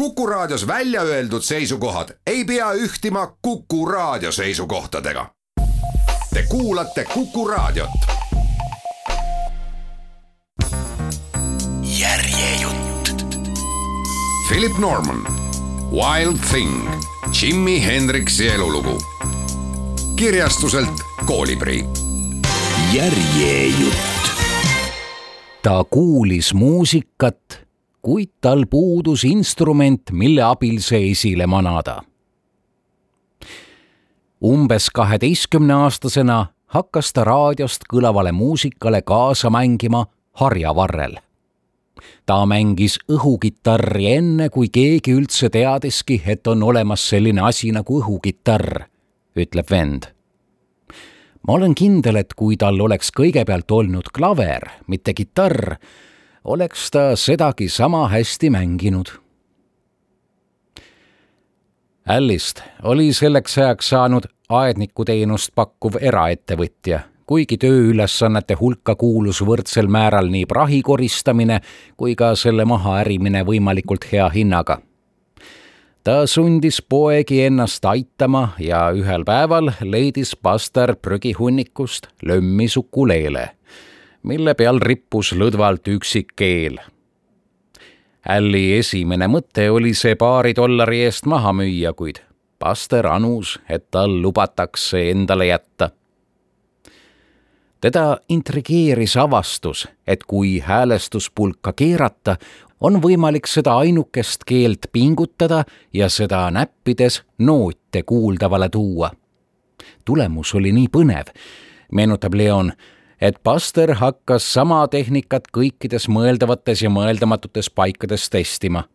Kuku Raadios välja öeldud seisukohad ei pea ühtima Kuku Raadio seisukohtadega. Te kuulate Kuku Raadiot. Järjejutt. Philip Norman, Wild Thing, Jimi Hendrixi elulugu. Kirjastuselt Koolibri. Järjejutt. Ta kuulis muusikat, kuid tal puudus instrument, mille abil see esile manada. Umbes 12-aastasena hakkas ta raadiost kõlavale muusikale kaasa mängima harjavarrel. Ta mängis õhukitarri enne, kui keegi üldse teadiski, et on olemas selline asi nagu õhukitarr, ütleb vend. Ma olen kindel, et kui tal oleks kõigepealt olnud klaver, mitte kitarr, oleks ta sedagi sama hästi mänginud. Allist oli selleks ajaks saanud aednikuteenust pakkuv eraettevõtja, kuigi tööülesannete hulka kuulus võrdsel määral nii prahi koristamine kui ka selle maha ärimine võimalikult hea hinnaga. Ta sundis poegi ennast aitama ja ühel päeval leidis pastor prügihunnikust lömmi sukuleele, mille peal rippus lõdvalt üksik keel. Alli esimene mõte oli see $2 eest maha müüa, kuid pastor anus, et tal lubatakse endale jätta. Teda intrigeeris avastus, et kui häälestuspulka keerata, on võimalik seda ainukest keelt pingutada ja seda näppides noote kuuldavale tuua. Tulemus oli nii põnev, meenutab Leon, et pastor hakkas sama tehnikat kõikides mõeldavates ja mõeldamatutes paikades testima.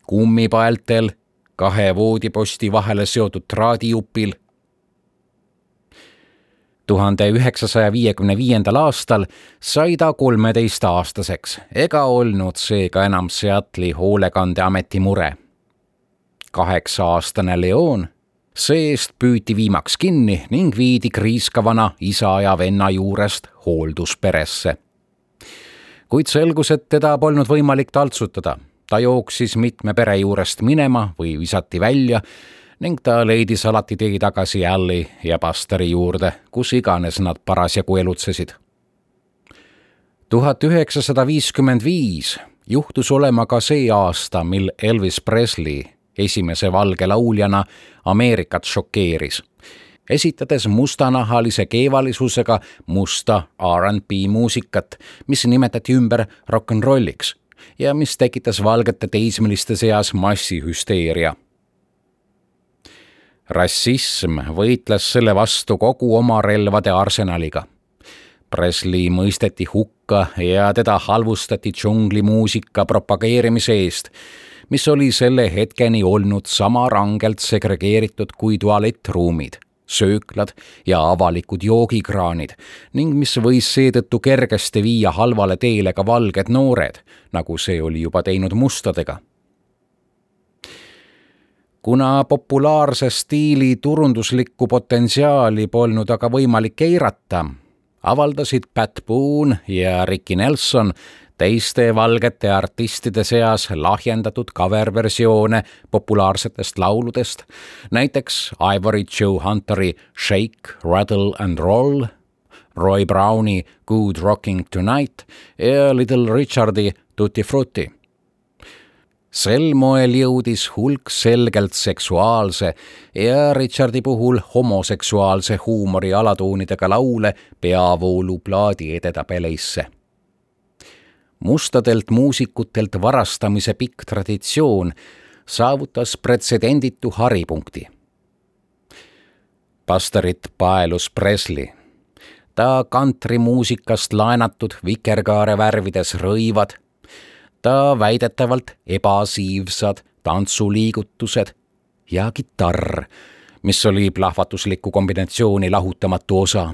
Kummipaeltel, 2 voodiposti vahele seotud traadijupil. 1955. aastal sai ta 13-aastaseks ega olnud seega enam Seattle'i hoolekandeameti mure. 8-aastane Leon seest püüti viimaks kinni ning viidi kriiskavana isa ja venna juurest hooldusperesse. Kuid selgus, et teda polnud võimalik taltsutada. Ta jooksis mitme pere juurest minema või visati välja ning ta leidis alati tee tagasi Alli ja pastori juurde, kus iganes nad parasjagu elutsesid. 1955 juhtus olema ka see aasta, mil Elvis Presley esimese valge lauljana Ameerikat šokeeris, esitades mustanahalise keevalisusega musta R&B muusikat, mis nimetati ümber rock'n'rolliks ja mis tekitas valgete teismeliste seas massihüsteeria. Rassism võitles selle vastu kogu oma relvade arsenaliga. Presley mõisteti hukka ja teda halvustati džunglimuusika propageerimise eest, mis oli selle hetkeni olnud sama rangelt segregeeritud kui tualettruumid, sööklad ja avalikud joogikraanid ning mis võis seetõttu kergesti viia halvale teele ka valged noored, nagu see oli juba teinud mustadega. Kuna populaarse stiili turunduslikku potentsiaali polnud aga võimalik eirata, avaldasid Pat Boone ja Ricky Nelson teiste valgete artistide seas lahjendatud cover-versioone populaarsetest lauludest, näiteks Ivory Joe Hunteri Shake, Rattle and Roll, Roy Browni Good Rocking Tonight ja Little Richardi Tutti Frutti. Sel moel jõudis hulk selgelt seksuaalse ja Richardi puhul homoseksuaalse huumori alatoonidega laule peavoolu plaadi edetabeleisse. Mustadelt muusikutelt varastamise pikk traditsioon saavutas pretsedenditu haripunkti. Pastorit paelus Presley. Ta kantrimuusikast laenatud vikerkaare värvides rõivad, ta väidetavalt ebasiivsad tantsuliigutused ja kitarr, mis oli plahvatusliku kombinatsiooni lahutamatu osa.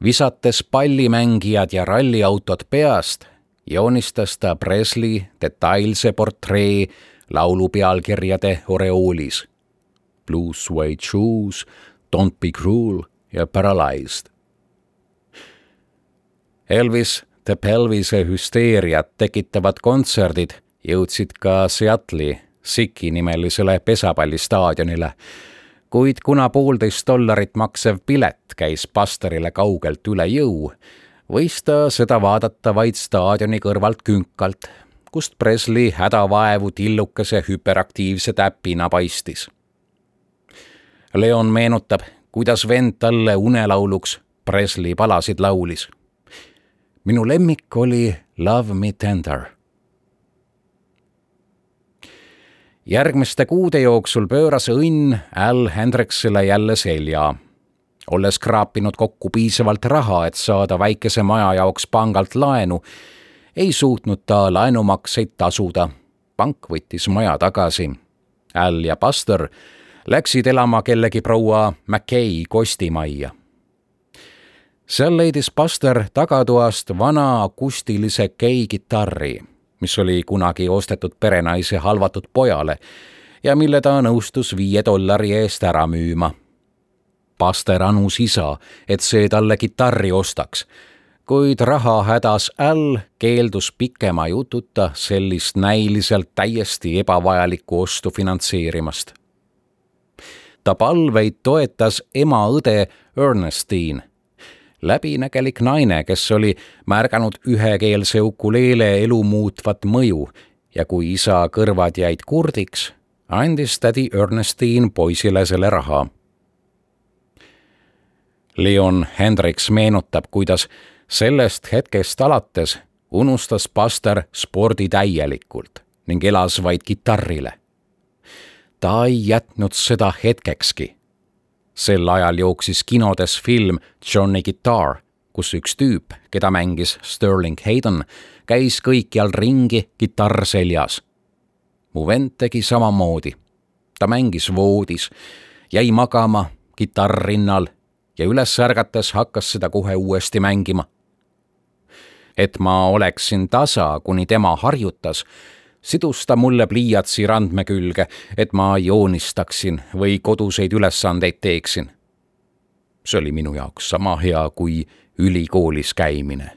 Visates pallimängijad ja ralliautod peast, joonistas ta Presley detailse portree laulu pealkirjade oreoolis. Blue Suede Shoes, Don't Be Cruel ja Paralyzed. Elvis The Pelvise hüsteeriat tekitavad kontserdid Jõudsid ka Seattle'i Siki nimelisele pesapallistaadionile, kuid kuna $1.5 maksev pilet käis Busterile kaugelt üle jõu, võis ta seda vaadata vaid staadioni kõrvalt künkalt, kust Presley hädavaevu tillukese hüperaktiivse täpina paistis. Leon meenutab, kuidas vend talle unelauluks Presley palasid laulis. Minu lemmik oli Love Me Tender. Järgmiste kuude jooksul pööras õnn Al Hendricksile jälle selja. Olles kraapinud kokku piisavalt raha, et saada väikese maja jaoks pangalt laenu, ei suutnud ta laenumakseid tasuda. Pank võttis maja tagasi. Al ja Buster läksid elama kellegi proua McKay kostimajja. Seal leidis Buster tagatoast vana akustilise Kay-kitarri, mis oli kunagi ostetud perenaise halvatud pojale ja mille ta nõustus $5 eest ära müüma. Buster anus isa, et see talle kitarri ostaks, kuid rahahädas Al keeldus pikema jututa sellist näiliselt täiesti ebavajalikku ostu finantseerimast. Ta palveid toetas ema õde Ernestine, läbinägelik naine, kes oli märganud ühekeelse ukuleele elu muutvat mõju ja kui isa kõrvad jäid kurdiks, andis tädi Ernestine poisile selle raha. Leon Hendricks meenutab, kuidas sellest hetkest alates unustas Buster spordi täielikult ning elas vaid kitarrile. Ta ei jätnud seda hetkekski. Sel ajal jooksis kinodes film Johnny Guitar, kus üks tüüp, keda mängis Sterling Hayden, käis kõikjal ringi kitarr seljas. Mu vend tegi samamoodi. Ta mängis voodis, jäi magama kitarr rinnal ja üles ärgates hakkas seda kohe uuesti mängima. Et ma oleksin tasa, kuni tema harjutas, sidus ta mulle pliiatsi randme külge, et ma joonistaksin või koduseid ülesandeid teeksin. See oli minu jaoks sama hea kui ülikoolis käimine.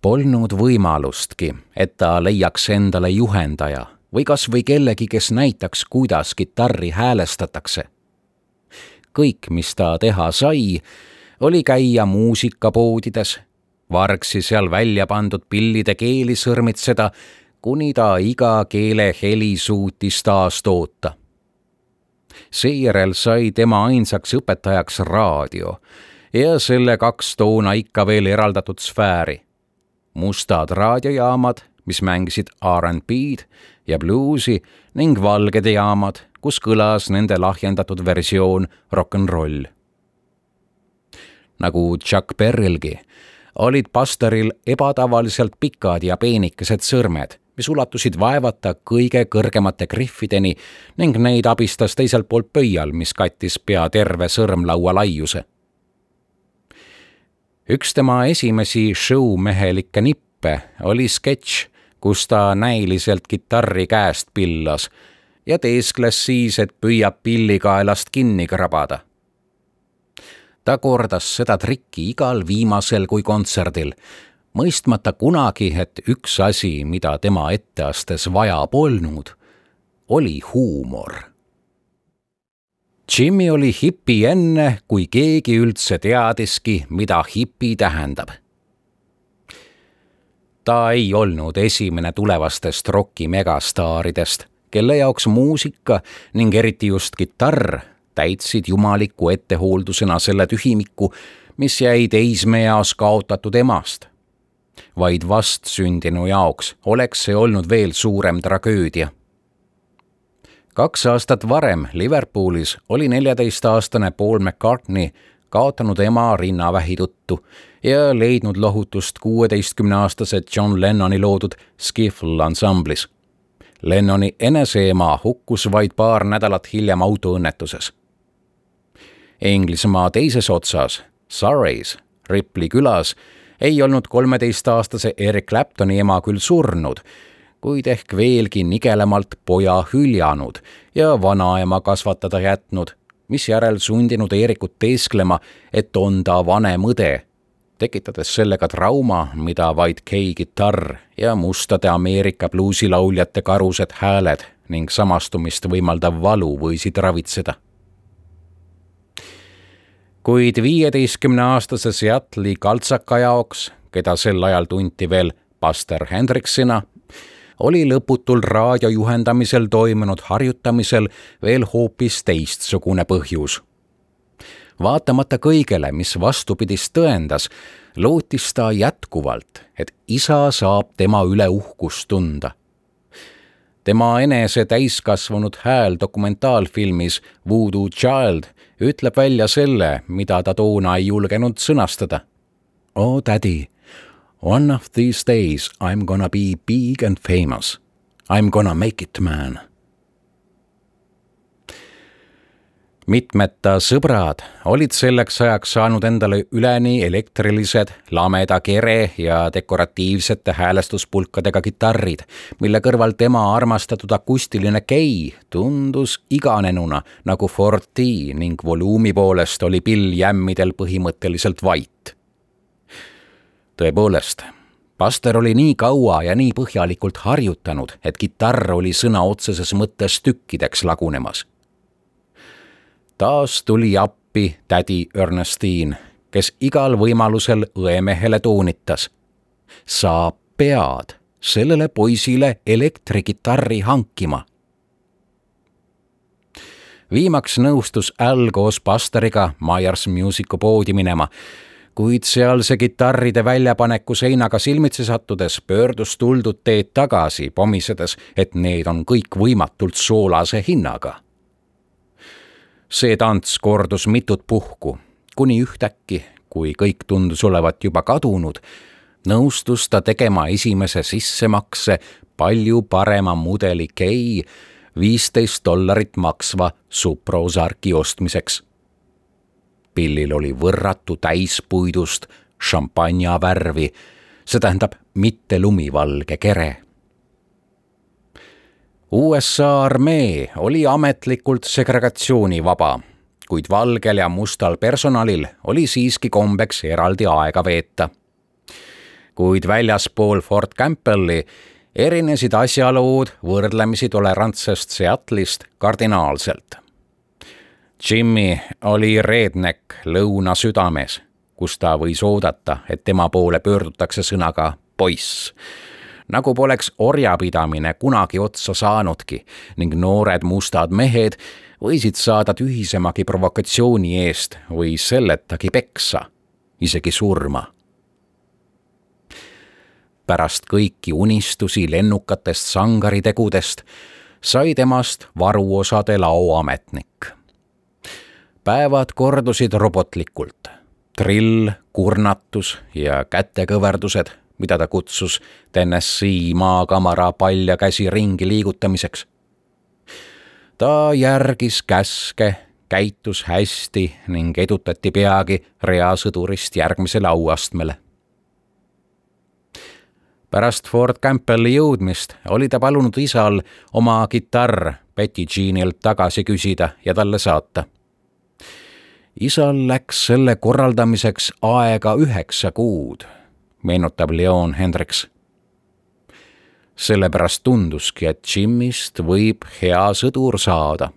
Polnud võimalustki, et ta leiaks endale juhendaja või kas või kellegi, kes näitaks, kuidas kitarri häälestatakse. Kõik, mis ta teha sai, oli käia muusikapoodides, vargsi seal välja pandud pillide keeli sõrmitseda, kuni ta iga keele heli suutis taas toota. Seejärel sai tema ainsaks õpetajaks raadio ja selle 2 toona ikka veel eraldatud sfääri. Mustad raadiojaamad, mis mängisid R&B'd ja bluusi ning valged jaamad, kus kõlas nende lahjendatud versioon rock'n'roll. Nagu Chuck Berrylgi, olid Busteril ebatavaliselt pikad ja peenikesed sõrmed, mis ulatusid vaevata kõige kõrgemate griffideni ning neid abistas teiselt poolt pöial, mis kattis pea terve sõrmlaua laiuse. Üks tema esimesi showmehelikke nippe oli sketš, kus ta näiliselt kitarri käest pillas ja teeskles siis, et püüab pillikaelast kinni krabada. Ta kordas seda trikki igal viimasel kui kontserdil, mõistmata kunagi, et üks asi, mida tema etteastes vaja polnud, oli huumor. Jimmy oli hipi enne, kui keegi üldse teadiski, mida hipi tähendab. Ta ei olnud esimene tulevastest roki megastaaridest, kelle jaoks muusika ning eriti just kitarr täitsid jumaliku ettehooldusena selle tühimiku, mis jäi teismeeas kaotatud emast. Vaid vastsündinu jaoks oleks see olnud veel suurem tragöödia. 2 aastat varem Liverpoolis oli 14-aastane Paul McCartney kaotanud ema rinnavähi tõttu ja leidnud lohutust 16-aastase John Lennoni loodud Skiffle ansamblis. Lennoni eneseema hukkus vaid paar nädalat hiljem autoõnnetuses. Inglismaa teises otsas, Surrey's, Ripley külas, ei olnud 13-aastase Eric Claptoni ema küll surnud, kuid ehk veelgi nigelamalt poja hüljanud ja vanaema kasvatada jätnud, mis järel sundinud Erikut teesklema, et on ta vanem õde, tekitades sellega trauma, mida vaid Kei-kitarr ja mustade Ameerika bluusilauljate karused hääled ning samastumist võimaldav valu võisid ravitseda. Kuid 15-aastase Seattle'i kaltsaka jaoks, keda sel ajal tunti veel Buster Hendricksina, oli lõputul raadiojuhendamisel toimunud harjutamisel veel hoopis teistsugune põhjus. Vaatamata kõigele, mis vastupidist tõendas, lootis ta jätkuvalt, et isa saab tema üle uhkust tunda. Tema enese täiskasvanud hääl dokumentaalfilmis Voodoo Child ütleb välja selle, mida ta toona ei julgenud sõnastada. Oh, daddy, one of these days I'm gonna be big and famous. I'm gonna make it, man. Mitmed ta sõbrad olid selleks ajaks saanud endale üleni elektrilised, lameda kere ja dekoratiivsete häälestuspulkadega kitarrid, mille kõrval tema armastatud akustiline Kei tundus iganenuna nagu Ford T ning volüümi poolest oli pill jämmidel põhimõtteliselt vait. Tõepoolest, Buster oli nii kaua ja nii põhjalikult harjutanud, et kitarr oli sõna otseses mõttes tükkideks lagunemas. Taas tuli appi tädi Ernestine, kes igal võimalusel õemehele toonitas. Sa pead sellele poisile elektrikitarri hankima. Viimaks nõustus Al koos Busteriga Myers Musicu poodi minema, kuid sealse kitarride väljapaneku seinaga silmitsi sattudes pöördus tuldud teed tagasi, pomisedes, et need on kõik võimatult soolase hinnaga. See tants kordus mitut puhku, kuni ühtäkki, kui kõik tundus olevat juba kadunud, nõustus ta tegema esimese sissemakse palju parema mudeli Kei $15 maksva Suprosarki ostmiseks. Pillil oli võrratu täispuidust šampanja värvi, see tähendab mitte lumivalge kere. USA armee oli ametlikult segregatsioonivaba, kuid valgel ja mustal personalil oli siiski kombeks eraldi aega veeta. Kuid väljaspool Fort Campbelli erinesid asjalood võrdlemisi tolerantsest Seattle'ist kardinaalselt. Jimmy oli redneck lõuna südames, kus ta võis oodata, et tema poole pöördutakse sõnaga poiss, nagu poleks orjapidamine kunagi otsa saanudki ning noored mustad mehed võisid saada tühisemagi provokatsiooni eest või selletagi peksa, isegi surma. Pärast kõiki unistusi lennukatest sangaritegudest sai temast varuosade laoametnik. Päevad kordusid robotlikult. Drill, kurnatus ja kätekõverdused, mida ta kutsus Tennessee maakamara palja käsi ringi liigutamiseks. Ta järgis käske, käitus hästi ning edutati peagi reasõdurist järgmisele auastmele. Pärast Fort Campbelli jõudmist oli ta palunud isal oma kitarr Betty Jeanilt tagasi küsida ja talle saata. Isal läks selle korraldamiseks aega 9 kuud, meenutab Leon Hendricks. Sellepärast tunduski, et Jimmist võib hea sõdur saada.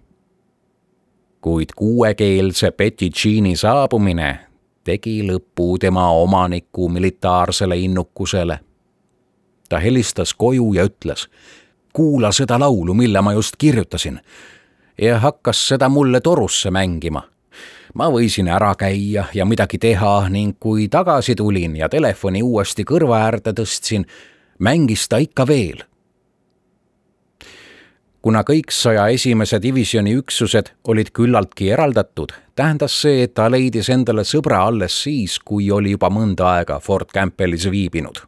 Kuid kuuekeelse Betty Jeani saabumine tegi lõpu tema omaniku militaarsele innukusele. Ta helistas koju ja ütles, kuula seda laulu, mille ma just kirjutasin, ja hakkas seda mulle torusse mängima. Ma võisin ära käia ja midagi teha ning kui tagasi tulin ja telefoni uuesti kõrva äärde tõstsin, mängis ta ikka veel. Kuna kõik 101. divisjoni üksused olid küllaltki eraldatud, tähendas see, et ta leidis endale sõbra alles siis, kui oli juba mõnda aega Fort Campbellis viibinud.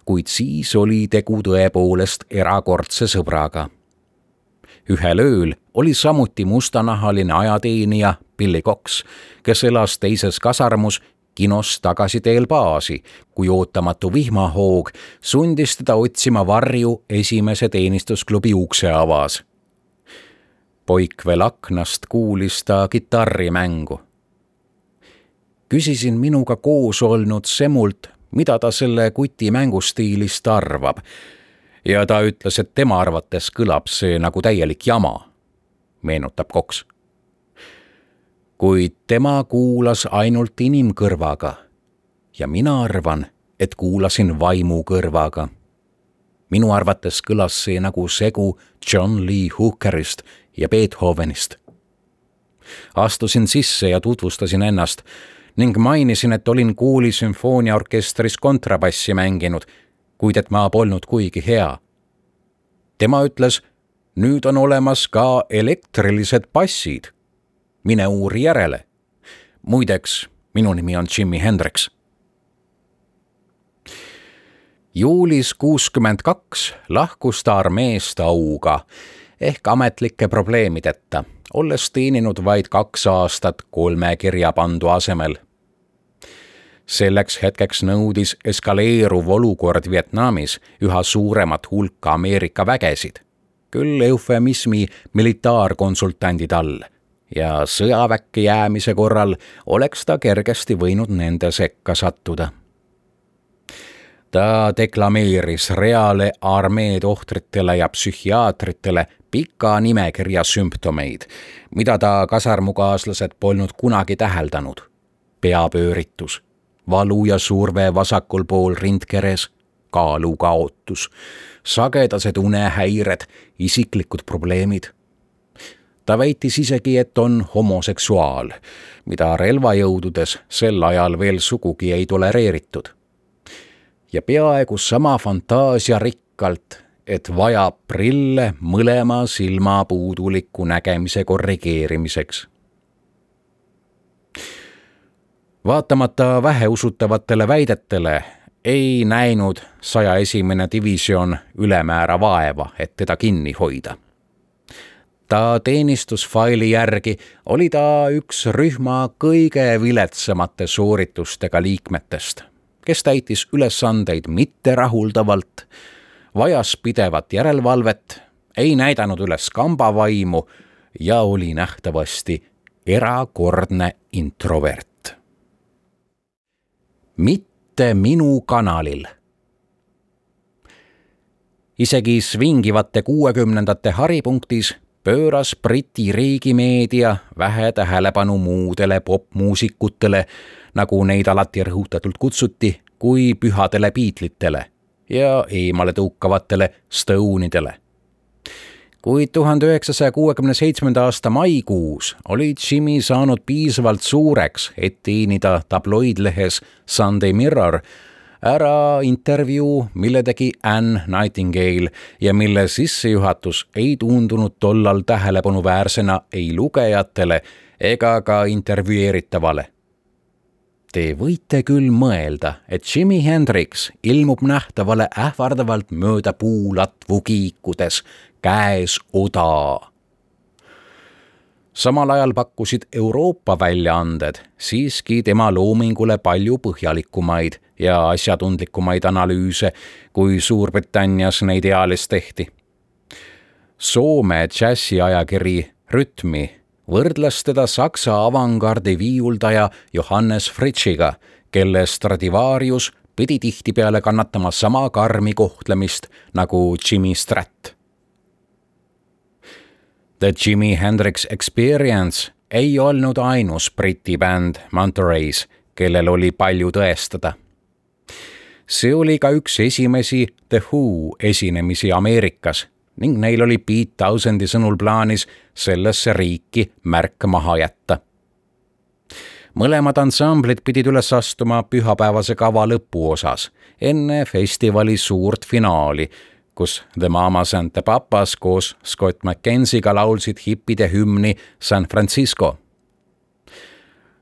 Kuid siis oli tegu tõepoolest erakordse sõbraga. Ühel ööl oli samuti mustanahaline ajateenija Billy Cox, kes elas teises kasarmus kinos tagasi teel baasi, kui ootamatu vihmahoog sundis teda otsima varju esimese teenistusklubi ukse avas. Poik veel aknast kuulis ta kitarrimängu. Küsisin minuga koos olnud Semult, mida ta selle kuti mängustiilist arvab. Ja ta ütles, et tema arvates kõlab see nagu täielik jama, meenutab Cox. Kuid tema kuulas ainult inimkõrvaga ja mina arvan, et kuulasin vaimu kõrvaga. Minu arvates kõlas see nagu segu John Lee Hookerist ja Beethovenist. Astusin sisse ja tutvustasin ennast ning mainisin, et olin kooli sümfooniaorkestris kontrabassi mänginud, kuid et ma polnud kuigi hea. Tema ütles, nüüd on olemas ka elektrilised bassid. Mine uuri järele. Muideks, minu nimi on Jimi Hendrix. Juulis 62 lahkus ta armeest auga ehk ametlike probleemideta, olles teeninud vaid 2 aastat 3 kirjapandu asemel. Selleks hetkeks nõudis eskaleeruv olukord Vietnamis üha suuremat hulka Ameerika vägesid, küll eufemismi militaarkonsultandid all, ja sõjaväkke jäämise korral oleks ta kergesti võinud nende sekka sattuda. Ta deklameeris reale armeed ohvritele ja psühhiaatritele pika nimekirja sümptomeid, mida ta kasarmukaaslased polnud kunagi täheldanud. Peapööritus, valu ja surve vasakul pool rindkeres, kaalukaotus, sagedased unehäired, isiklikud probleemid. Ta väitis isegi, et on homoseksuaal, mida relvajõududes sel ajal veel sugugi ei tolereeritud. Ja peaaegu sama fantaasia rikkalt, et vajab prille mõlema silma puuduliku nägemise korrigeerimiseks. Vaatamata väheusutavatele väidetele ei näinud 101. divisioon ülemäära vaeva, et teda kinni hoida. Ta teenistusfaili järgi oli ta üks rühma kõige viletsamate sooritustega liikmetest, kes täitis ülesandeid mitte rahuldavalt, vajas pidevat järelevalvet, ei näidanud üles kambavaimu ja oli nähtavasti erakordne introvert. Mitte minu kanalil. Isegi svingivate 60ndate haripunktis pööras Briti riigimeedia vähe tähelepanu muudele popmuusikutele, nagu neid alati rõhutatult kutsuti, kui pühadele Beatlitele ja eemale tõukavatele Stoneidele. Kuid 1967. aasta maikuus oli Jimi saanud piisavalt suureks, et teenida tabloidlehes Sunday Mirror ära intervjuu, mille tegi Anne Nightingale ja mille sissejuhatus ei tundunud tollal tähelepanuväärsena ei lugejatele ega ka intervjueeritavale. Te võite küll mõelda, et Jimi Hendrix ilmub nähtavale ähvardavalt mööda puulatvu kiikudes, käes oda. Samal ajal pakkusid Euroopa väljaanded siiski tema loomingule palju põhjalikumaid ja asjatundlikumaid analüüse, kui Suurbritannias neid ealis tehti. Soome džässiajakiri Rütmi võrdles teda saksa avangardi viiuldaja Johannes Fritschiga, kelle Stradivarius pidi tihtipeale kannatama sama karmi kohtlemist nagu Jimmy Stratt. The Jimi Hendrix Experience ei olnud ainus Briti bänd Monterey's, kellel oli palju tõestada. See oli ka üks esimesi The Who esinemisi Ameerikas ning neil oli Pete Townshendi sõnul plaanis sellesse riiki märk maha jätta. Mõlemad ansamblid pidid üles astuma pühapäevase kava lõpuosas, enne festivali suurt finaali, kus The Mamas and the Papas koos Scott McKenzie'ga laulsid hippide hümni San Francisco.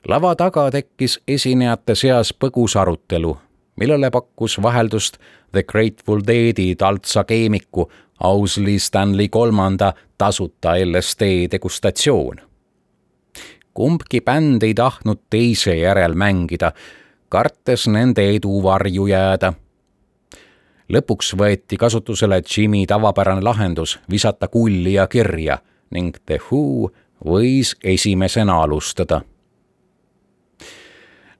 Lava taga tekkis esinejate seas põgus arutelu, millele pakkus vaheldust The Grateful Deadi taltsa keemiku Owsley Stanley III tasuta LSD degustatsioon. Kumbki bänd ei tahtnud teise järel mängida, kartes nende edu varju jääda. Lõpuks võeti kasutusele Jimi tavapärane lahendus visata kulli ja kirja ning The Who võis esimesena alustada.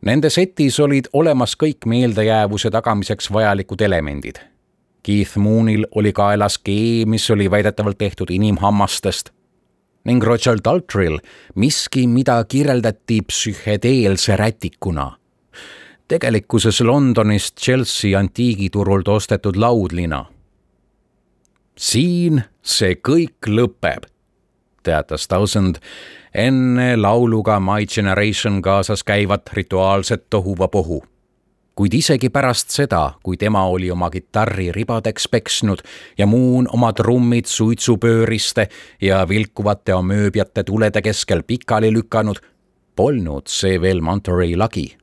Nende setis olid olemas kõik meeldejäävuse tagamiseks vajalikud elemendid. Keith Moonil oli kaelas kee, mis oli väidetavalt tehtud inimhammastest, ning Roger Daltrell miski, mida kirjeldati psühhedeelse rätikuna. Tegelikkuses Londonist Chelsea antiigiturult ostetud laudlina. Siin see kõik lõpeb, teatas Townsend enne lauluga My Generation kaasas käivat rituaalset tohuvapohu. Kuid isegi pärast seda, kui tema oli oma kitarri ribadeks peksnud ja Moon oma trummid suitsupööriste ja vilkuvate amööbiate tulede keskel pikali lükanud, polnud see veel Monterey lagi.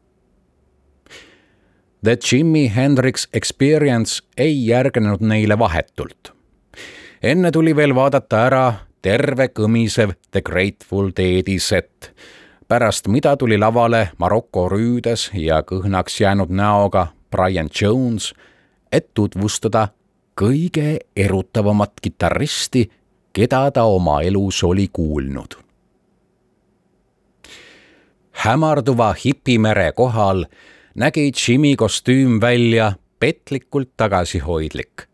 The Jimi Hendrix Experience ei järgnenud neile vahetult. Enne tuli veel vaadata ära terve kõmisev The Grateful Deadi set, pärast mida tuli lavale Maroko rüüdes ja kõhnaks jäänud näoga Brian Jones, et tutvustada kõige erutavamat kitarristi, keda ta oma elus oli kuulnud. Hämarduva hipimere kohal nägi Jimi kostüüm välja petlikult tagasihoidlik.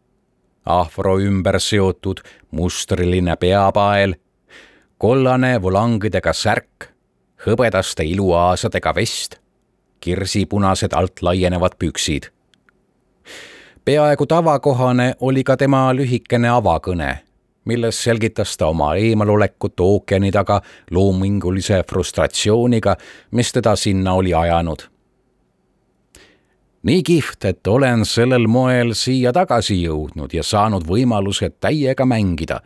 Afro ümber seotud mustriline peapael, kollane volangidega särk, hõbedaste iluaasadega vest, kirsipunased alt laienevad püksid. Peaaegu tavakohane oli ka tema lühikene avakõne, milles selgitas ta oma eemalolekut ookeani taga loomingulise frustratsiooniga, mis teda sinna oli ajanud. Nii kihvt, et olen sellel moel siia tagasi jõudnud ja saanud võimaluse täiega mängida.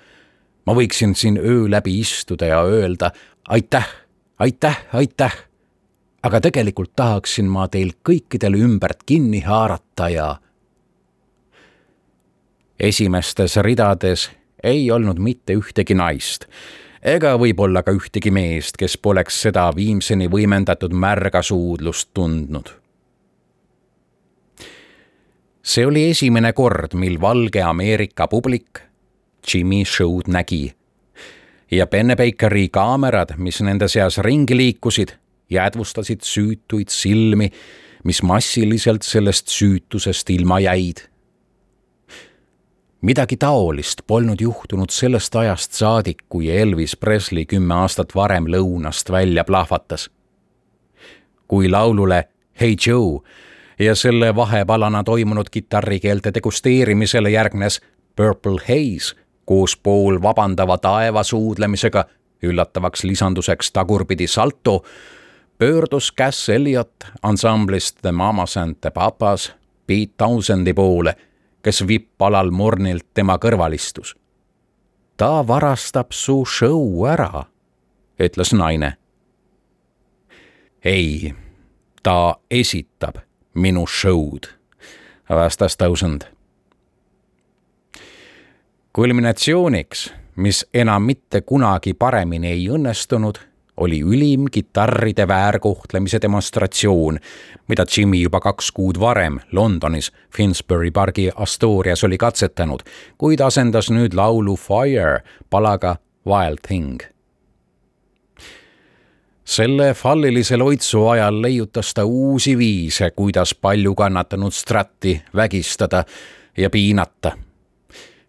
Ma võiksin siin öö läbi istuda ja öelda aitäh, aitäh, aitäh. Aga tegelikult tahaksin ma teil kõikidel ümbert kinni haarata ja... Esimestes ridades ei olnud mitte ühtegi naist, ega võib-olla ka ühtegi meest, kes poleks seda viimseni võimendatud märga suudlust tundnud. See oli esimene kord, mil valge Ameerika publik Jimi show'd nägi ja Pennebakeri kaamerad, mis nende seas ringi liikusid, jäädvustasid süütuid silmi, mis massiliselt sellest süütusest ilma jäid. Midagi taolist polnud juhtunud sellest ajast saadik, kui Elvis Presley 10 aastat varem lõunast välja plahvatas. Kui laulule Hey Joe ja selle vahepalana toimunud kitarrikeelte degusteerimisele järgnes Purple Haze koos pool vabandava taeva suudlemisega, üllatavaks lisanduseks tagurpidi salto, pöördus Cass Elliot ansamblist The Mamas and the Papas Pete Townsendi poole, kes vipp-alal mornilt tema kõrval istus. Ta varastab su show ära, ütles naine. Ei, ta esitab minu show'd, vastas Townsend. Kulminatsiooniks, mis enam mitte kunagi paremini ei õnnestunud, oli ülim kitarride väärkohtlemise demonstratsioon, mida Jimi juba 2 kuud varem Londonis Finsbury Parki Astorias oli katsetanud, kuid asendas nüüd laulu Fire palaga Wild Thing. Selle fallilise loitsu ajal leiutas ta uusi viise, kuidas palju kannatanud Stratti vägistada ja piinata.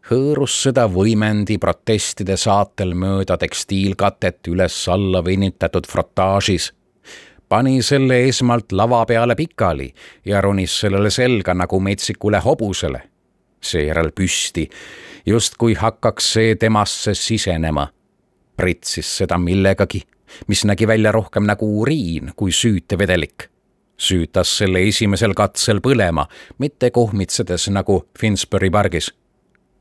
Hõõrus seda võimendi protestide saatel mööda tekstiilkatet üles-alla venitatud frotaažis, pani selle esmalt lava peale pikali ja ronis sellele selga nagu metsikule hobusele, seejärel püsti, justkui hakkaks see temasse sisenema, pritsis seda millegagi, mis nägi välja rohkem nagu uriin kui süütevedelik. Süütas selle esimesel katsel põlema, mitte kohmitsedes nagu Finsbury Pargis.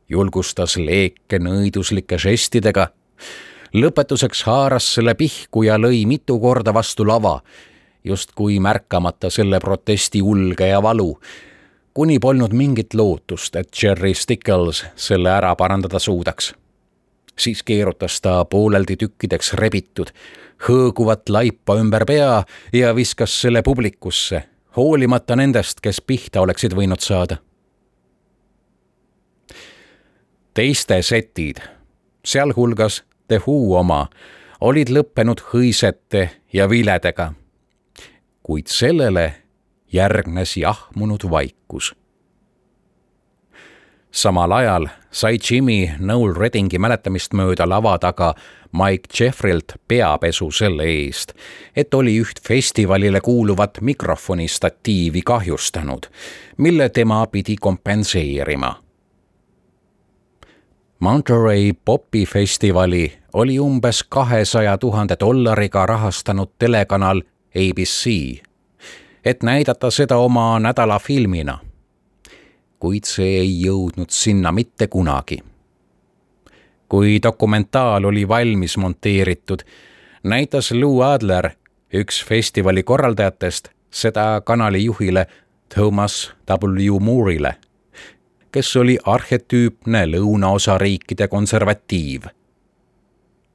Julgustas leeke nõiduslike žestidega. Lõpetuseks haaras selle pihku ja lõi mitu korda vastu lava, justkui märkamata selle protesti ulge ja valu, kuni polnud mingit lootust, et Jerry Stickles selle ära parandada suudaks. Siis keerutas ta pooleldi tükkideks rebitud, hõõguvat laipa ümber pea ja viskas selle publikusse, hoolimata nendest, kes pihta oleksid võinud saada. Teiste setid, sealhulgas The Who oma, olid lõppenud hõisete ja viledega. kuid sellele järgnes jahmunud vaikus. Samal ajal sai Jimmy Noel Reddingi mäletamist mööda lava taga Mike Jeffrilt peapesu selle eest, et oli üht festivalile kuuluvat mikrofonistatiivi kahjustanud, mille tema pidi kompenseerima. Monterey Popi festivali oli umbes $200,000 rahastanud telekanal ABC, et näidata seda oma nädalafilmina. Kuid see ei jõudnud sinna mitte kunagi. Kui dokumentaal oli valmis monteeritud, näitas Lou Adler, üks festivali korraldajatest, seda kanali juhile Thomas W. Moore'ile, kes oli arhetüüpne lõunaosa riikide konservatiiv.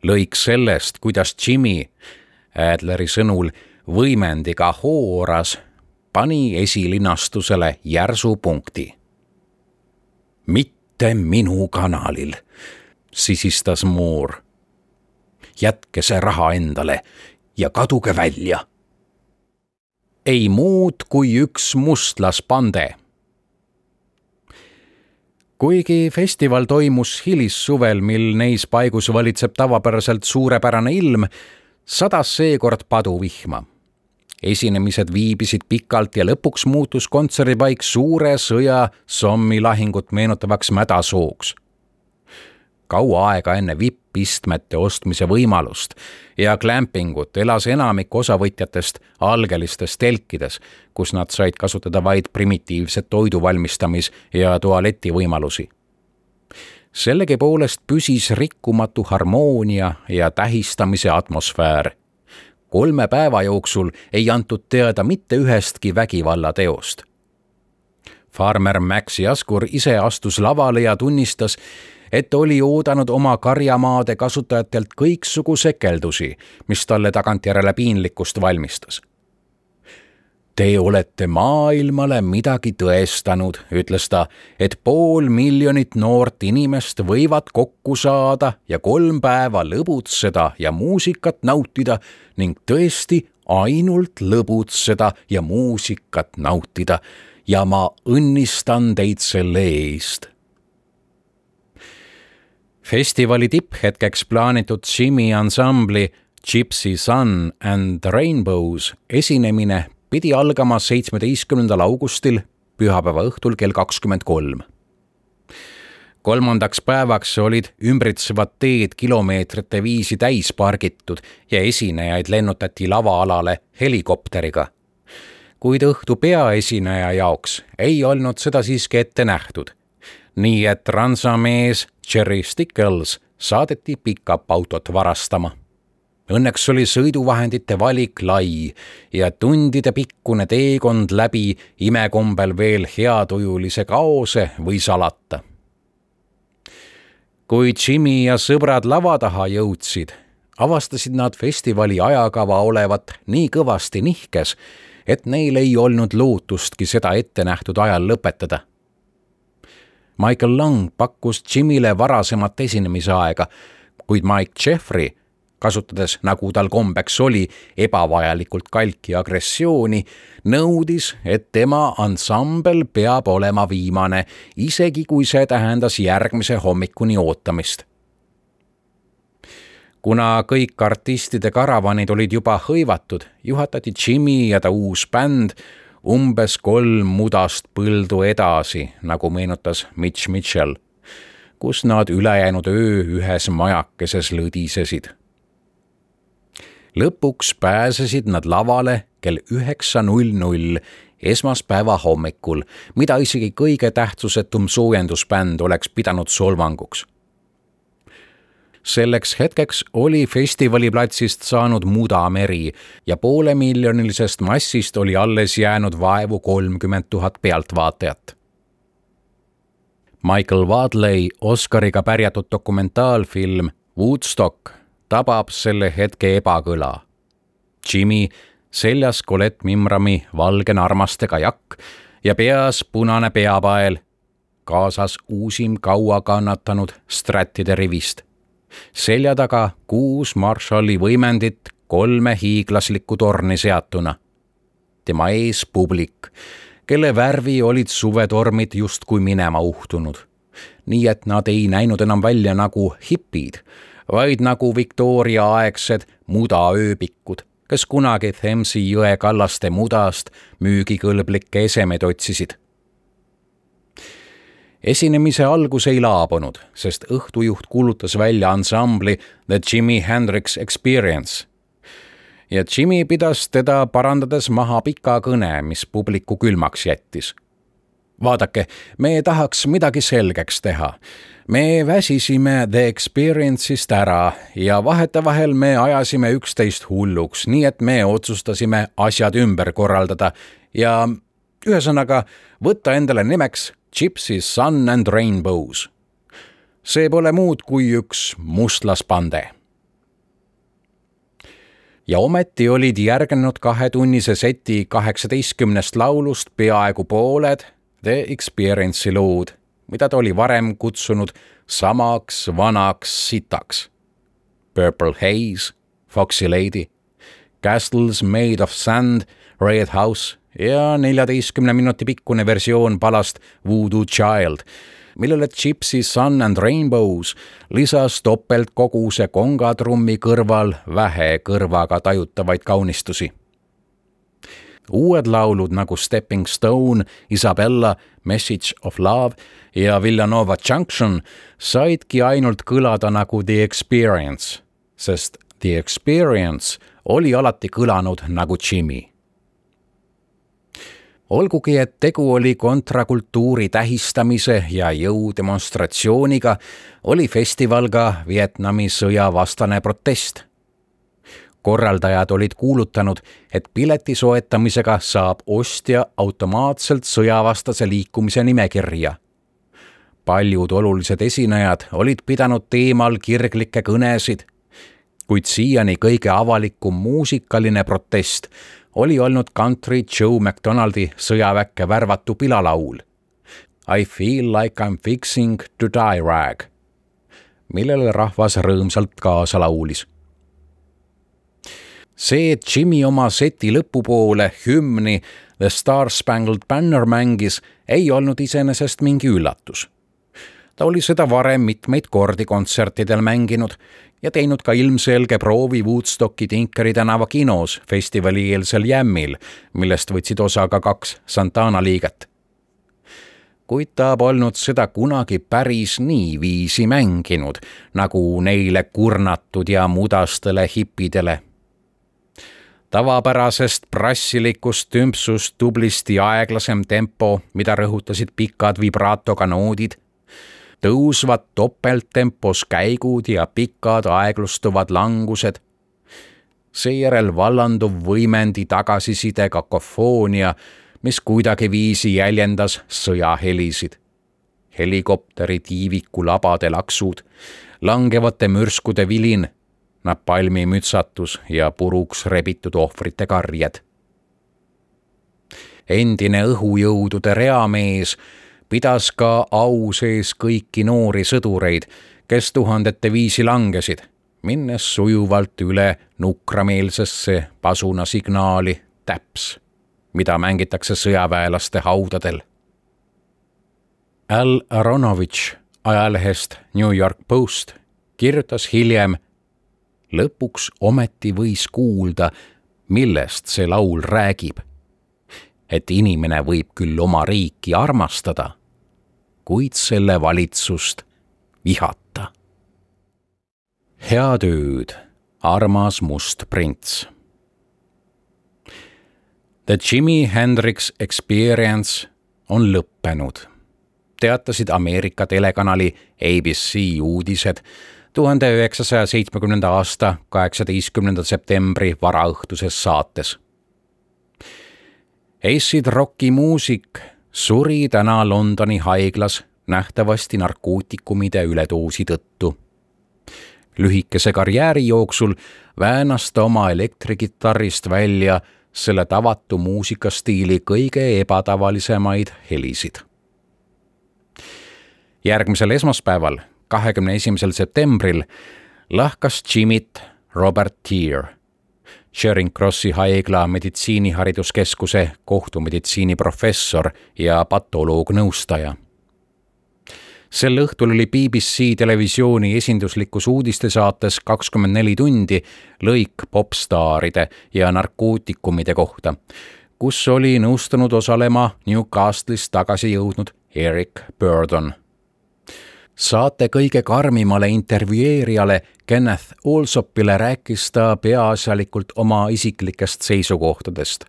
Lõik sellest, kuidas Jimmy, Adleri sõnul, võimendiga hooras, pani esilinastusele järsu punkti. Mitte minu kanalil, sisistas Moore. Jätke see raha endale ja kaduge välja. Ei muud kui üks mustlaspande. Kuigi festival toimus hilissuvel, mil neis paigus valitseb tavapäraselt suurepärane ilm, sadas seekord paduvihma. Esinemised viibisid pikalt ja lõpuks muutus kontserdipaik suure sõja Sommi lahingut meenutavaks mädasooks. Kaua aega enne vippistmete ostmise võimalust ja glampingut elas enamik osavõtjatest algelistes telkides, kus nad said kasutada vaid primitiivset toidu valmistamis- ja tualeti võimalusi. Sellegipoolest püsis rikkumatu harmoonia ja tähistamise atmosfäär. 3 päeva jooksul ei antud teada mitte ühestki vägivallateost. Farmer Max Jaskur ise astus lavale ja tunnistas, et oli oodanud oma karjamaade kasutajatelt kõiksugu sekeldusi, mis talle tagantjärele piinlikkust valmistas. Te olete maailmale midagi tõestanud, ütles ta, et 500,000 noort inimest võivad kokku saada ja 3 päeva lõbutseda ja muusikat nautida ning tõesti ainult lõbutseda ja muusikat nautida ja ma õnnistan teid selle eest. Festivali tipphetkeks plaanitud Jimmy ansambli Gypsy Sun and the Rainbows esinemine pidi algama 17. augustil pühapäeva õhtul kell 23. 3. päevaks olid ümbritsevad teed kilomeetrite viisi täis pargitud ja esinejaid lennutati lavaalale helikopteriga. Kuid õhtu peaesineja jaoks ei olnud seda siiski ette nähtud. Nii et ransamees Jerry Stickles saadeti pick-up-autot varastama. Õnneks oli sõiduvahendite valik lai ja tundide pikkune teekond läbi imekombel veel heatujulise kaose või salata. Kui Jimmy ja sõbrad lava taha jõudsid, avastasid nad festivali ajakava olevat nii kõvasti nihkes, et neil ei olnud lootustki seda ette nähtud ajal lõpetada. Michael Lang pakkus Jimmyle varasemat esinemisaega, kuid Mike Jeffrey, kasutades, nagu tal kombeks oli, ebavajalikult kalki agressiooni, nõudis, et tema ansambel peab olema viimane, isegi kui see tähendas järgmise hommikuni ootamist. Kuna kõik artistide karavanid olid juba hõivatud, juhatati Jimmy ja ta uus bänd umbes 3 mudast põldu edasi, nagu meenutas Mitch Mitchell, kus nad ülejäänud öö ühes majakeses lõdisesid. Lõpuks pääsesid nad lavale kell 9:00 esmaspäeva hommikul, mida isegi kõige tähtsusetum soojendusbänd oleks pidanud solvanguks. Selleks hetkeks oli festivaliplatsist saanud mudameri ja 500,000-lisest massist oli alles jäänud vaevu 30,000 pealtvaatajat. Michael Wadley Oscariga pärjatud dokumentaalfilm Woodstock tabab selle hetke ebakõla. Jimmy seljas Colette Mimrami valge narmastega jakk ja peas punane peapael, kaasas uusim kaua kannatanud Stratide rivist. Selja taga 6 Marshalli võimendit 3 hiiglaslikku torni seatuna. tema ees publik, kelle värvi olid suvetormid justkui minema uhtunud. Nii et nad ei näinud enam välja nagu hipid, vaid nagu Victoria-aegsed mudaööbikud, kes kunagi Thamesi jõe kallaste mudast müügikõlblikke esemed otsisid. Esinemise algus ei laabunud, sest õhtujuht kuulutas välja ansambli The Jimi Hendrix Experience. Ja Jimi pidas teda parandades maha pika kõne, mis publiku külmaks jättis. Vaadake, me tahaks midagi selgeks teha. Me väsisime The Experience'ist ära ja vahetevahel me ajasime üksteist hulluks, nii et me otsustasime asjad ümber korraldada ja ühesõnaga võtta endale nimeks Gypsy Sun and Rainbows. See pole muud kui üks mustlaspande. Ja ometi olid järgnenud 2-tunnise seti 18 laulust peaaegu pooled The Experience'i lood, mida ta oli varem kutsunud samaks vanaks sitaks. Purple Haze, Foxy Lady, Castles Made of Sand, Red House ja 14 minuti pikkune versioon palast Voodoo Child, millele Gypsy Sun and Rainbows lisas topeltkoguse kongatrummi kõrval vähe kõrvaga tajutavaid kaunistusi. Uued laulud nagu Stepping Stone, Isabella, Message of Love ja Villanova Junction saidki ainult kõlada nagu The Experience, sest The Experience oli alati kõlanud nagu Jimi. Olgugi, et tegu oli kontrakultuuri tähistamise ja jõudemonstratsiooniga, oli festival ka Vietnami sõja vastane protest. Korraldajad olid kuulutanud, et pileti soetamisega saab ostja automaatselt sõjavastase liikumise nimekirja. Paljud olulised esinejad olid pidanud teemal kirglikke kõnesid, kuid siiani kõige avalikum muusikaline protest oli olnud country Joe McDonaldi sõjaväkke värvatu pilalaul I feel like I'm fixing to die rag, millele rahvas rõõmsalt kaasa laulis. See, et Jimi oma seti lõpupoole hümni The Star Spangled Banner mängis, ei olnud iseenesest mingi üllatus. Ta oli seda varem mitmeid kordi kontsertidel mänginud ja teinud ka ilmselge proovi Woodstocki Tinkeri tänava kinos festivali-eelsel jämmil, millest võtsid osa ka 2 Santana liiget. Kuid ta polnud seda kunagi päris nii viisi mänginud, nagu neile kurnatud ja mudastele hipidele. Tavapärasest prassilikust tümpsust tublisti aeglasem tempo, mida rõhutasid pikad vibraatoga noodid, tõusvad topelttempos käigud ja pikad aeglustuvad langused. Seejärel vallanduv võimendi tagasiside kakofoonia, mis kuidagi viisi jäljendas sõjahelisid. Helikopteri tiiviku labade laksud, langevate mürskude vilin, napalmi mütsatus ja puruks rebitud ohvrite karjed. Endine õhujõudude reamees pidas ka au sees kõiki noori sõdureid, kes tuhandete viisi langesid, minnes sujuvalt üle nukrameelsesse pasunasignaali täps, mida mängitakse sõjaväelaste haudadel. Al Aronovitš ajalehest New York Post kirjutas hiljem, lõpuks ometi võis kuulda, millest see laul räägib. Et inimene võib küll oma riiki armastada, kuid selle valitsust vihata. Head ööd, armas must prints. The Jimi Hendrix Experience on lõppenud, teatasid Ameerika telekanali ABC uudised 1970. aasta 18. septembri varaõhtuses saates. Acid Rocki muusik suri täna Londoni haiglas nähtavasti narkootikumide üledoosi tõttu. Lühikese karjääri jooksul väänas ta oma elektrikitarrist välja selle tavatu muusikastiili kõige ebatavalisemaid helisid. Järgmisel esmaspäeval, 21. septembril lahkas Jimit Robert Tear. Charing Crossi haigla meditsiinihariduskeskuse kohtumeditsiini professor ja patoloognõustaja. Sel õhtul oli BBC televisiooni esinduslikus uudistesaates 24 tundi lõik popstaaride ja narkootikumide kohta, kus oli nõustunud osalema Newcastle'ist tagasi jõudnud Eric Burdon. Saate kõige karmimale intervjueerijale Kenneth Allsopile rääkis ta peaasjalikult oma isiklikest seisukohtadest.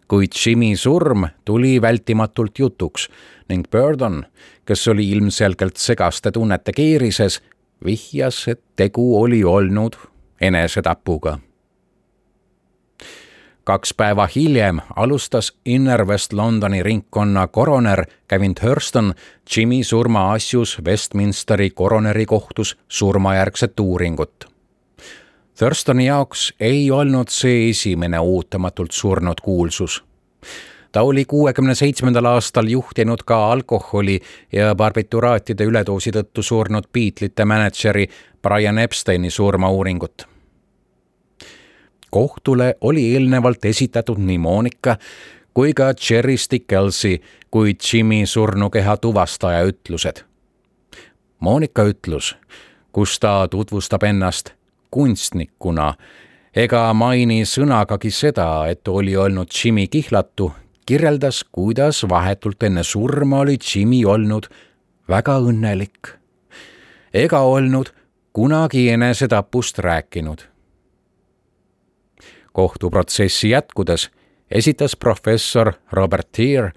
Kuid Jimmy surm tuli vältimatult jutuks ning Burdon, kes oli ilmselgelt segaste tunnete keerises, vihjas, et tegu oli olnud enesetapuga. 2 päeva hiljem alustas Inner West Londoni ringkonna koroner Gavin Thurston Jimmy surma asjus Westminsteri koroneri-kohtus surmajärgset uuringut. Thurstoni jaoks ei olnud see esimene ootamatult surnud kuulsus. Ta oli 67. aastal juhtinud ka alkoholi ja barbituraatide üledoosi tõttu surnud Beatlesite mänedžeri Brian Epsteini surmauuringut. Kohtule oli eelnevalt esitatud nii Monica kui ka Jerry Stickelsi kui Jimmy surnukeha tuvastaja ütlused. Monica ütlus, kus ta tutvustab ennast kunstnikuna ega maini sõnagagi seda, et oli olnud Jimmy kihlatu, kirjeldas, kuidas vahetult enne surma oli Jimmy olnud väga õnnelik ega olnud kunagi enesetapust rääkinud. Kohtuprotsessi jätkudes esitas professor Robert Tear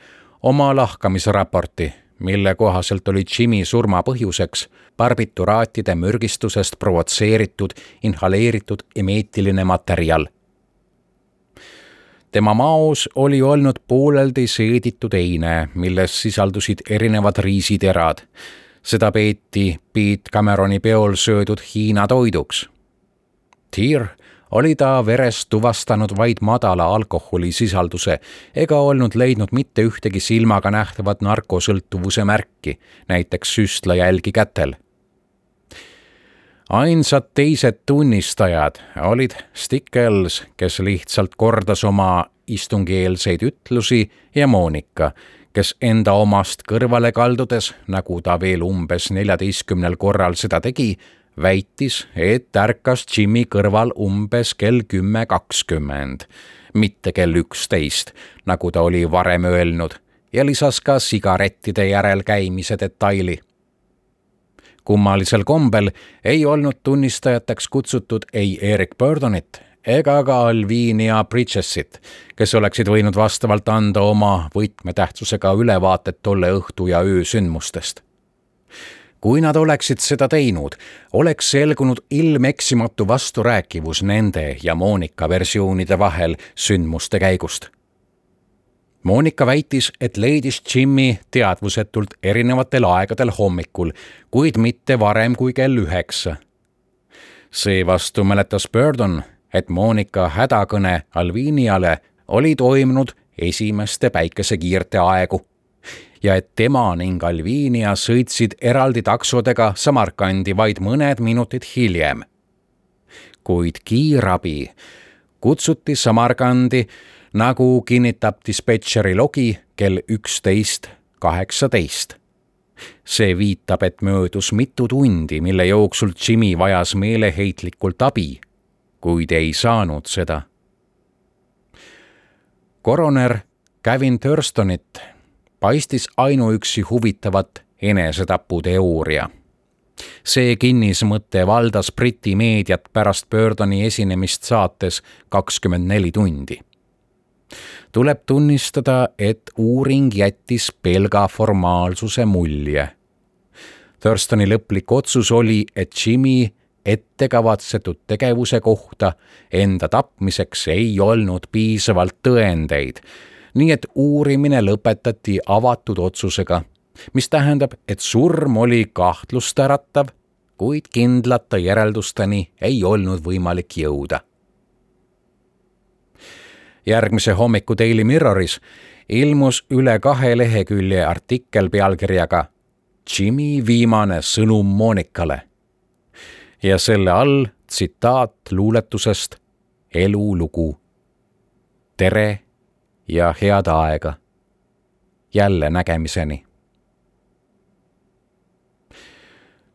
oma lahkamisraporti, mille kohaselt oli Jimmy surma põhjuseks barbituraatide mürgistusest provotseeritud inhaleeritud emeetiline materjal. Tema maos oli olnud pooleldi seeditud eine, milles sisaldusid erinevad riisiterad. Seda peeti Pete Cameroni peol söödud Hiina toiduks. Tear oli ta veres tuvastanud vaid madala alkoholisisalduse ega olnud leidnud mitte ühtegi silmaga nähtavat narkosõltuvuse märki, näiteks süstlajälgi kätel. Ainsad teised tunnistajad olid Stickels, kes lihtsalt kordas oma istungieelseid ütlusi, ja Monica, kes enda omast kõrvale kaldudes, nagu ta veel umbes 14 korral seda tegi, väitis, et ärkas Jimmy kõrval umbes kell 10:20, mitte kell 11, nagu ta oli varem öelnud, ja lisas ka sigarettide järel käimise detaili. Kummalisel kombel ei olnud tunnistajateks kutsutud ei Eric Burdonit ega ka Alvinia Bridgesit, kes oleksid võinud vastavalt anda oma võtmetähtsusega ülevaated tolle õhtu ja öö sündmustest. Kui nad oleksid seda teinud, oleks selgunud ilmeksimatu vasturääkivus nende ja Monica versioonide vahel sündmuste käigust. Monica väitis, et leidis Jimmy teadvusetult erinevatel aegadel hommikul, kuid mitte varem kui kell 9. Seevastu mäletas Burdon, et Monica hädakõne Alviniale oli toimunud esimeste päikesekiirte aegu ja et tema ning Alvinia sõitsid eraldi taksodega Samarkandi vaid mõned minutid hiljem. Kuid kiirabi kutsuti Samarkandi, nagu kinnitab dispetšeri logi, kell 11:18. See viitab, et möödus mitu tundi, mille jooksul Jimmy vajas meeleheitlikult abi, kuid ei saanud seda. Koroner Gavin Thurstonit paistis ainuüksi huvitavat enesetaputeooria. See kinnismõte valdas Briti meediat pärast Burdoni esinemist saates 24 tundi. Tuleb tunnistada, et uuring jättis pelga formaalsuse mulje. Thurstoni lõplik otsus oli, et Jimmy ettekavatsetud tegevuse kohta enda tapmiseks ei olnud piisavalt tõendeid, nii et uurimine lõpetati avatud otsusega, mis tähendab, et surm oli kahtlust äratav, kuid kindlate järeldusteni ei olnud võimalik jõuda. Järgmise hommiku Daily Mirroris ilmus üle 2 lehekülje artikkel pealkirjaga Jimmy viimane sõnum Monicale ja selle all tsitaat luuletusest elulugu. Tere ja head aega. Jälle nägemiseni.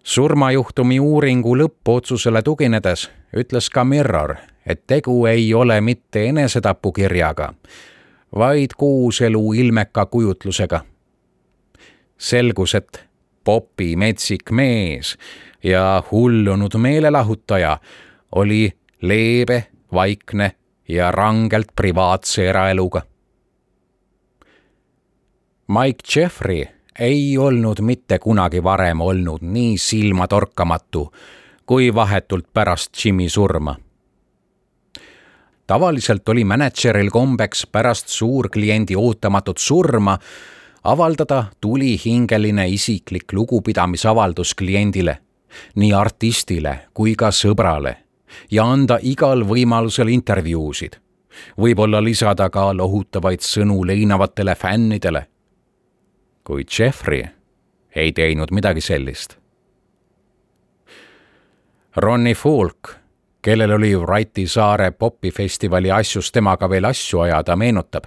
Surmajuhtumi uuringu lõppotsusele tuginedes ütles ka Mirror, et tegu ei ole mitte enesetapukirjaga, vaid kooselu ilmeka kujutlusega. Selgus, et Popi metsik mees ja hullunud meelelahutaja oli leebe, vaikne ja rangelt privaatse eraeluga. Mike Jeffrey ei olnud mitte kunagi varem olnud nii silmatorkamatu kui vahetult pärast Jimmy surma. Tavaliselt oli mänedžeril kombeks pärast suurkliendi ootamatut surma avaldada tulihingeline isiklik lugupidamisavaldus kliendile, nii artistile kui ka sõbrale, ja anda igal võimalusel intervjuusid. Võib-olla lisada ka lohutavaid sõnu leinavatele fännidele. Kuid Jeffrey ei teinud midagi sellist. Ronnie Folk, kellel oli Wrighti saare popifestivali asjus temaga veel asju ajada, meenutab,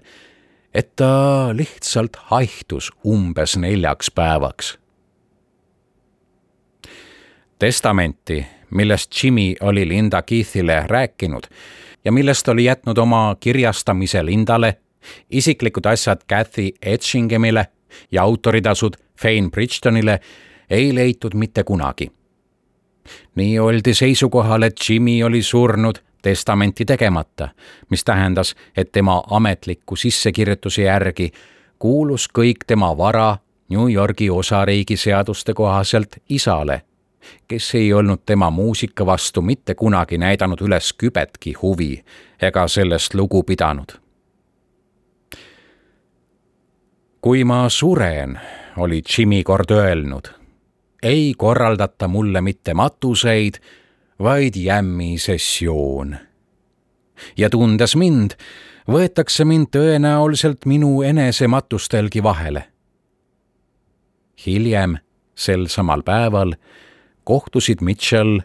et ta lihtsalt haihtus umbes 4 päevaks. Testamenti, millest Jimmy oli Linda Keithile rääkinud ja millest oli jätnud oma kirjastamise Lindale, isiklikud asjad Kathy Etchinghamile ja autoritasud Fane Bridgetonile, ei leitud mitte kunagi. Nii oldi seisukohal, et Jimmy oli surnud testamenti tegemata, mis tähendas, et tema ametliku sissekirjutuse järgi kuulus kõik tema vara New Yorgi osariigi seaduste kohaselt isale, kes ei olnud tema muusika vastu mitte kunagi näidanud üles kübetki huvi ega sellest lugu pidanud. Kui ma suren, oli Jimmy kord öelnud, ei korraldata mulle mitte matuseid, vaid jämmisessioon. Ja tundes mind, võetakse mind tõenäoliselt minu enese matustelgi vahele. Hiljem, sel samal päeval, kohtusid Mitchell,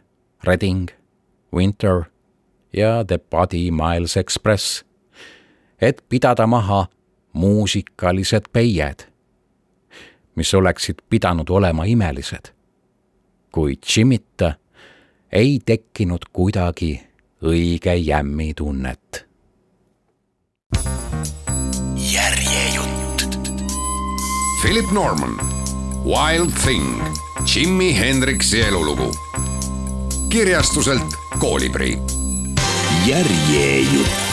Redding, Winter ja The Buddy Miles Express, et pidada maha muusikalised peied, mis oleksid pidanud olema imelised, kuid Jimmita ei tekkinud kuidagi õige jämmi tunnet. Järjejutt. Philip Norman, Wild Thing, Jimi Hendrixi elulugu. Kirjastuselt Koolibri. Järjejutt.